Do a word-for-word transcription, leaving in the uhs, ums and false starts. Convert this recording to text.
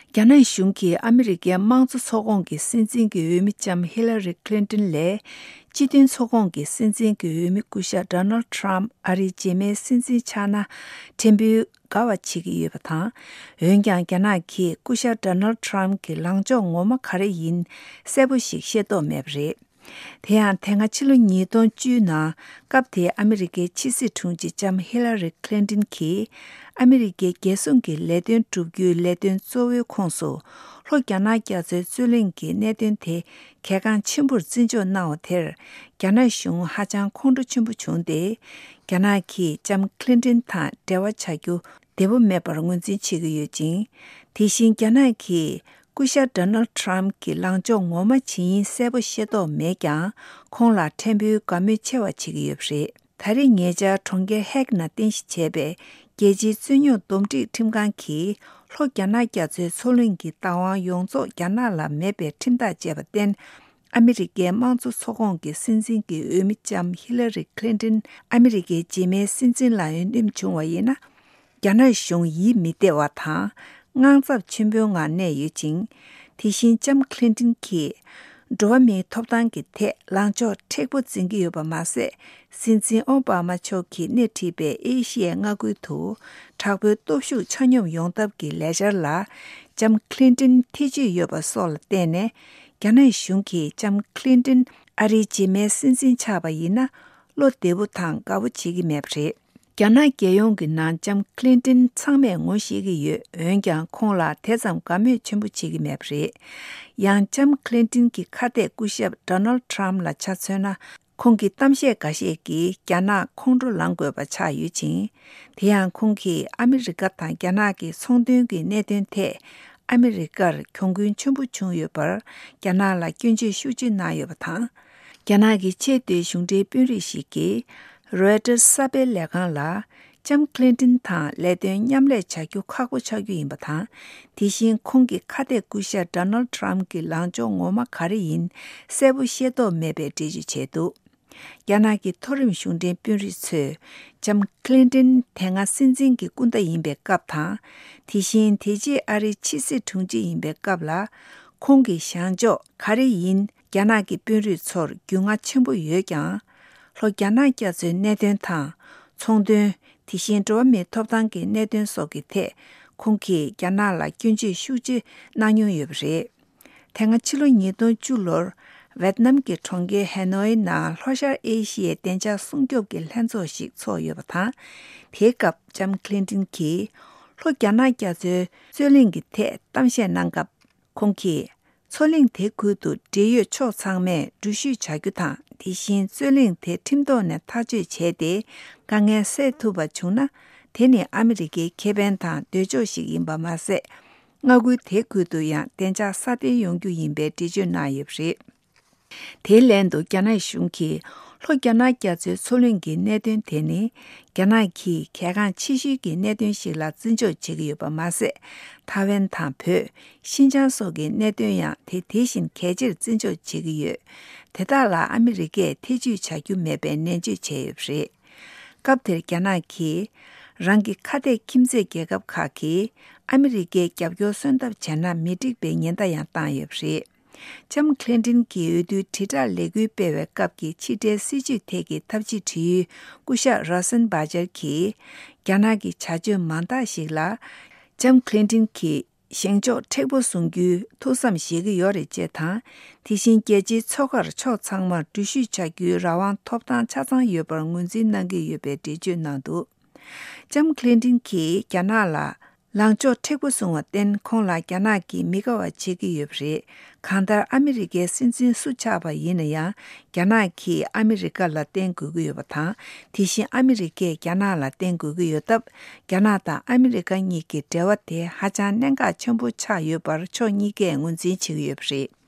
རྒྱ་ནག་གཞུང་གིས་ཨ་མི་རི་ཀའི་དམངས་གཙོ་ཚོགས་ཁོངས་ཀྱི་སྲིད་འཛིན་གྱི་འོས་མི་ལྕམ་ཧི་ལ་རི་ཁི་ལིན་ཏོན་ལས། སྤྱི་མཐུན་ཚོགས་ཁོངས་ཀྱི་སྲིད་འཛིན་གྱི་འོས་མི་སྐུ་ཞབས་ཌོ་ནལ་ཌི་ཊརམ་ཕ་ཨ་རིའི་རྗེས་མའི་སྲིད་འཛིན་ཆགས་ན་ཕྲན་བུ་དགའ་བ་བྱེད་ཀྱི་ཡོད་པ་དང་། འོན་ཀྱང་རྒྱ་ནག་གིས་སྐུ་ཞབས་ཌོ་ནལ་ཌི་ཊརམ་གྱི་ལངས་ཕྱོགས་ངོ་མ་ག་རེ་ཡིན་གསལ་པོ་ཞིག་ཤེས་རྟོགས་མེད་པ་རེད། དེ་ཡང་དེ་སྔ་ཕྱི་ལོ་ཉིས་སྟོང་བཅུ་ནང་སྐབས་དེའི་ཨ་མི་རི་ཀའི་ཕྱི་སྲིད་དྲུང་ཆེ་ལྕམ་ཧི་ལ་རི་ཁི་ལིན་ཏོན་གྱིས་ཨ་མི་རི་ཀའི་རྒྱལ་སྲུང་གི་ལས་དོན་བསྒྲུབ་རྒྱུའི་ལས་དོན་གཙོ་བོའི་ཁོངས་སུ་ལྷོ་རྒྱ་ནག་རྒྱ་མཚོའི་རྩོད་གླེང་གི་གནད་དོན་དེ་གལ་འགངས་ཆེན་པོར་བརྩི་འཇོག་གནང་བ་དེར་རྒྱ་ནག་གཞུང་ཧ་ཅང་ཁོང་ཁྲོ་ཆེན་པོ་བྱུང་སྟེ། རྒྱ་ནག་གིས་ལྕམ་ཁི་ལིན་ཏོན་དང་འབྲེལ་བ་བྱ་རྒྱུ་བདེ་པོ་མེད་པར་ངོས་འཛིན་བྱེད་ཀྱི་ཡོད་ཅིང་། དེ་བཞིན་རྒྱ་ནག་གིས་སྐུ་ཞབས་ཌོ་ནལ་ཌི་ཊརམ་གྱི་ལངས་ཕྱོགས་ངོ་མ་ཇི་ཡིན་གསལ་པོ་ཤེས་རྟོགས་མེད་ཀྱང་། ཁོང་ལ་ཕྲན་བུའི་དགའ་མོས་ཆེ་བ་བྱེད་ཀྱི་ཡོད་པ་རེད། ད་རེས་ཉེ་ཆར་གྲོང་ཁྱེར་ཧེག་ནང་རྟེན་གཞི་བྱས་པའི་རྒྱལ་སྤྱིའི་རྩོད་རྙོག་འདུམ་འགྲིག་ཁྲིམས་ཁང་གིས་ལྷོ་རྒྱ་ནག་རྒྱ་མཚོའི་མཚོ་གླིང་གི་བདག་དབང་ཡོངས་རྫོགས་རྒྱ་ནག་ལ་མེད་པའི་ཁྲིམས་ཐག་བཅད་པར་བརྟེན། ཨ་མི་རི་ཀའི་དམངས་གཙོ་ཚོགས་ཁོངས་ཀྱི་སྲིད་འཛིན་གྱི་འོས་མི་ལྕམ་ཧི་ལ་རི་ཁི་ལིན་ཏོན་ཨ་མི་རི་ཀའི་རྗེས་མའི་སྲིད་འཛིན་ལ་འོས་འདེམས་བྱུང་བ་ཡིན་ན། རྒྱ་ནག་གཞུང་ཡིད་མི་བདེ་བ་དང་དངངས་འཚབ་ཆེན་པོའི་ངང་གནས་ཡོད་ཅིང་། དེ་བཞིན་ལྕམ་ཁི་ལིན་ཏོན་གྱིས་འགྲོ་བ་མིའི་ཐོབ་ཐང་གི་ཐད་ལངས་ཕྱོགས་མཁྲེགས་པོ་འཛིན་གྱི་ཡོད་པ་མ་ཟད། སྲིད་འཛིན་ཨོ་བྷ་མ་མཆོག་གིས་སྣེ་ཁྲིད་པའི་ཨེ་ཤི་ཡའི་མངའ་ཁུལ་དུ་དྲག་པོའི་སྟོབས་ཤུགས་ཆ་སྙོམས་ཡོང་ཐབས་ཀྱི་ལས་འཆར་ལ་ལྕམ་ཁི་ལིན་ཏོན་ཐེ་བྱུས་ཡོད་པ་སོགས་ལ་བརྟེན་ནས། རྒྱ་ནག་གཞུང་གིས་ལྕམ་ཁི་ལིན་ཏོན་ཨ་རིའི་རྗེས་མའི་སྲིད་འཛིན་ཆགས་པ་ཡིན་ན། བློ་བདེ་པོ་དང་དགའ་པོ་བྱེད་ཀྱི་མེད་པ་རེད། རྒྱ་ནག་རྒྱལ་ཡོངས་ཀྱི་ནང་ལྕམ་ཁི་ལིན་ཏོན་ཚང་མས་ངོ་ཤེས་ཀྱི་ཡོད། འོན་ཀྱང་ཁོང་ལ་དེ་ཙམ་དགའ་མོས་ཆེན་པོ་བྱེད་ཀྱི་མེད་པ་རེད། ཡང་ལྕམ་ཁི་ལིན་ཏོན་གྱི་ཁ་གཏད་སྐུ་ཞབས་ཌོ་ནལ་ཌི་ཊརམ་ཕ་ལ་ཆ་མཚོན་ན། ཁོང་གི་གཏམ་བཤད་འགའ་ཤས་ཀྱིས་རྒྱ་ནག་ཁོང་ཁྲོ་ལངས་དགོས་པ་ཆགས་ཡོད་ཅིང་། དེ་ཡང་ཁོང་གིས་ཨ་མི་རི་ཀ་དང་རྒྱ་ནག་གི་ཚོང་དོན་གྱི་གནད་དོན་ཐད་ཨ་མི་རི་ཀར་གྱོང་གུན་ཆེན་པོ་བྱུང་ཡོད་པར་རྒྱ་ནག་ལ་སྐྱོན་བརྗོད་ཤུགས་ཆེ་གནང་ཡོད་པ་དང་། རྒྱ་ནག་གི་ཆེས་མཐོའི་གཞུང་འབྲེལ་དཔོན་རིགས་ཤིག་གིས་རོའི་ཊར་གསར་སྤེལ་ལས་ཁང་ལ། ལྕམ་ཁི་ལིན་ཏོན་དང་ལས་དོན་མཉམ་ལས་བྱ་རྒྱུ་ཁག་པོ་ཆགས་རྒྱུ་ཡིན་པ་དང་། དེ་བཞིན་ཁོང་གི་ཁ་གཏད་སྐུ་ཞབས་ཌོ་ནལ་ཌི་ཊརམ་གྱི་ལངས་ཕྱོགས་ངོ་མ་ག་རེ་ཡིན་གསལ་པོ་ཤེས་རྟོགས་མེད་པའི་འགྲེལ་བརྗོད་བྱས་འདུག་རྒྱ་ནག་གི་མཐོ་རིམ་གཞུང་འབྲེལ་དཔོན་རིགས་ཚོས་ལྕམ་ཁི་ལིན་ཏོན་དེ་སྔ་སྲིད་འཛིན་གྱི་སྐུ་ཟླ་ཡིན་པའི་སྐབས་དང་། དེ་བཞིན་དེ་རྗེས་ཨ་རིའི་ཕྱི་སྲིད་དྲུང་ཆེ་ཡིན་པའི་སྐབས་ལ། ཁོང་གི་བཞེངས་ཕྱོགས་ག་རེ་ཡིན་རྒྱ་ནག་གི་དཔོན་རིགས་ཚོར་རྒྱུས་མངའ་ཆེན་པོ་ཡོད་ཀྱང་། ལྷོ་རྒྱ་ནག་རྒྱ་མཚོའི་གནད་དོན་དང་། ཚོང་དོན། དེ་བཞིན་འགྲོ་བ་མིའི་ཐོབ་ཐང་གི་གནད་དོན་སོགས་ཀྱི་ཐད། ཁོང་གིས་རྒྱ་ནག་ལ་སྐྱོན་བརྗོད་ཤུགས་ཆེ་གནང་མྱོང་ཡོད་པ་རེད། དེ་སྔ་ཕྱི་ལོ་ཉིས་སྟོང་བཅུ་ལོར་ཝེད་ནམ་གྱི་གྲོང་ཁྱེར་ཧེ་ནོའི་ནང་ལྷོ་ཤར་ཨེ་ཤི་ཡའི་བདེ་འཇགས་སྲུང་སྐྱོབ་ཀྱི་ལྷན་ཚོགས་ཤིག་ཚོགས་ཡོད་པ་དང་། དེའི་སྐབས་ལྕམ་ཁི་ལིན་ཏོན་གྱིས་ལྷོ་རྒྱ་ནག་རྒྱ་མཚོའི་རྩོད་གླེང་གི་ཐད་གཏམ་བཤད་གནང་སྐབས། ཁོང་གིས། མཚོ་གླིང་དེ་ཁུལ་དུ་འབྲེལ་ཡོད་ཕྱོགས་ཚང་མས་འགྲུལ་བཞུད་བྱ་རྒྱུ་དང་། དེ་བཞིན་རྩོད་གླེང་དེ་ཁྲིམས་ཐོག་ནས་ཐག་གཅོད་བྱས་ཏེ། དཀའ་ངལ་སེལ་ཐུབ་པ་བྱུང་ན། དེ་ནི་ཨ་མི་རི་ཀའི་ཁེ་ཕན་དང་འདོད་ཕྱོགས་ཤིག་ཡིན་པ་མ་ཟད། མངའ་ཁུལ་དེ་ཁུལ་དུ་ཡང་བདེ་འཇགས་སྲ་བརྟན་ཡོང་རྒྱུ་ཡིན་པའི་འགྲེལ་བརྗོད་གནང་ཡོད་པ་རེད། དེའི་ལན་དུ་རྒྱ་ནག་གཞུང་གིས་ལྷོ་རྒྱ་ནག་རྒྱ་མཚོའི་མཚོ་གླིང་གི་གནད་དོན་དེ་ནི། རྒྱ་ནག་གིས་གལ་འགངས་ཆེ་ཤོས་ཀྱི་གནད་དོན་ཞིག་ལ་བརྩི་འཇོག་བྱེད་ཀྱི་ཡོད་པ་མ་ཟད། ཐའེ་ཝན་དང་བོད། ཤིན་ཅང་སོགས་ཀྱི་གནད་དོན་ཡང་དེ་དེ་བཞིན་གལ་ཆེར་བརྩི་འཇོག་བྱེད་ཀྱི་ཡོད། དེ་དག་ལ་ཨ་མི་རི་ཀས་ཐེ་བྱུས་བྱ་རྒྱུ་མེད་པའི་ནན་བརྗོད་བྱས་ཡོད་པ་རེད། སྐབས་དེར་རྒྱ་ནག་གིས་རང་གི་ཁ་གཏད་ཁྱིམ་མཚེས་རྒྱལ་ཁབ་ཁག་གིས་ཨ་མི་རི་ཀའི་རྒྱབ་སྐྱོར་སོན་ཐབས་བྱས་ན་མི་འགྲིག་པའི་ཉེན་བརྡ་ཡང་བཏང་ཡོད་པ་རེད། ལྕམ་ཁི་ལིན་ཏོན་གྱིས་འོས་བསྡུའི་དྲིལ་བསྒྲགས་ལས་འགུལ་སྤེལ་བའི་སྐབས་ཀྱི་ཕྱི་འབྲེལ་སྲིད་ཇུས་ཐད་ཀྱི་ཐབས་ཇུས་དྲི་ཡུལ་སྐུ་ཞབས་རོ་སན་བྷ་ཇར་གྱིས། རྒྱ་ནག་གི་བྱ་སྤྱོད་མང་དག་ཞིག་ལ། ལྕམ་ཁི་ལིན་ཏོན་གྱིས་བཞེངས་ཕྱོགས་མཁྲེགས་པོ་བཟུང་རྒྱུའི་ཐུགས་བསམ་བཞེས་ཀྱི་ཡོད་རེད་ཅེས་དང་། དེ་བཞིན་རྒྱལ་སྤྱིའི་མཚོ་ཁར་ཕྱོགས་ཚང་མར་འགྲུལ་བཞུད་བྱ་རྒྱུའི་རང་དབང་ཐོབ་ཐང་ཆ་ཚང་ཡོད་པར་ངོས་འཛིན་གནང་གི་ཡོད་པའི་འགྲེལ་བརྗོད་གནང་འདུག་ལྕམ་ཁི་ལིན་ཏོན་གྱིས་རྒྱ་ནག་ལ། ལངས་ཕྱོགས་མཁྲེགས་པོ་བཟུང་བར་བརྟེན། ཁོང་ལ་རྒྱ་ནག་གིས་མི་དགའ་བ་བྱེད་ཀྱི་ཡོད་པ་རེད། གང་ལྟར་ཨ་མི་རི་ཀའི་སྲིད་འཛིན་སུ་ཆགས་པ་ཡིན་ན་ཡང་། རྒྱ་ནག་གིས་ཨ་མི་རི་ཀ་ལ་བརྟེན་དགོས་ཀྱི་ཡོད་པ་དང་། དེ་བཞིན་ཨ་མི་རི་ཀས་རྒྱ་ནག་ལ་བརྟེན་དགོས་ཀྱི་ཡོད་སྟབས། རྒྱ་ནག་དང་ཨ་མི་རི་ཀ་གཉིས་ཀྱི་འབྲེལ་བ་དེ་ཧ་ཅང་གནད་འགག་ཆེན་པོ་ཆགས་ཡོད་པར་ཕྱོགས་གཉིས་ཀས་ངོས་འཛིན་བྱེད་ཀྱི་ཡོད་པ་རེད།